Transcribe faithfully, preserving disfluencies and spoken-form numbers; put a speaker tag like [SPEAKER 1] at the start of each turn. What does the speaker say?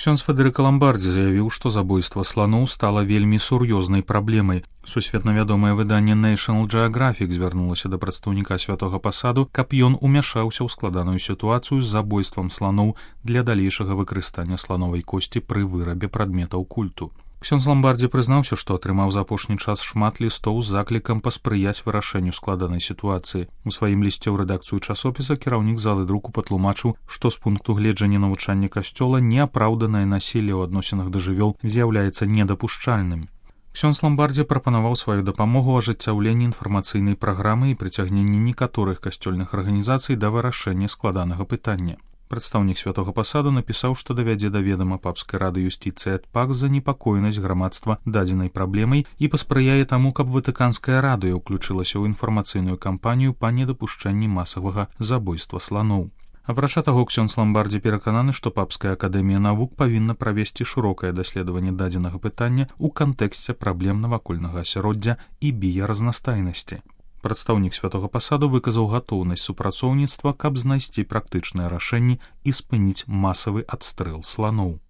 [SPEAKER 1] Ксёндз Федэрыка Ламбардзі заявіў, што забойства сланоў стала вельмі сур'ёзнай праблемай. Сусветна вядомае выданне National Geographic звярнулася да прадстаўніка святога пасаду, каб ён умяшаўся ў складаную сітуацыю з забойствам сланоў для далейшага выкарыстання слановай косці пры вырабе прадметаў культу. Ксёндз Ламбардзі прызнаўся, што атрымаў за апошні час шмат лістоў з заклікам паспрыяць вырашэнню складанай сітуацыі. У сваім лісце ў рэдакцыю часопіса кіраўнік залы друку патлумачыў, што з пункту гледжання навучання касцёла неапраўданае насілле ў адносінах да жывёл з'яўляецца недапушчальным. Ксёндз Ламбардзі прапанаваў сваю дапамогу ў ажыццяўленні інфармацыйнай праграмы і прыцягненні некаторых касцёльных арганізацый да вырашэння складанага пытання. Прадстаўнік святога пасаду напісаў, што давядзе да ведама папскай рады юстыцыі ад пак занепакоенасць грамадства дадзенай праблемай і паспрыяе таму, каб ватыканская радыё ўключылася ў інфармацыйную кампанію па недапушчэнні масавага забойства сланоў. Апрача таго, ксёндз Ламбардзі перакананы, што папская акадэмія навук павінна правесці шырокае даследаванне дадзенага пытання ў кантэксце праблем навакольнага асяроддзя і біяразнастайнасці. Прадстаўнік святога пасаду выказаў гатоўнасць супрацоўніцтва, каб знайсці практычныя рашэнні і спыніць масавы адстрэл сланоў.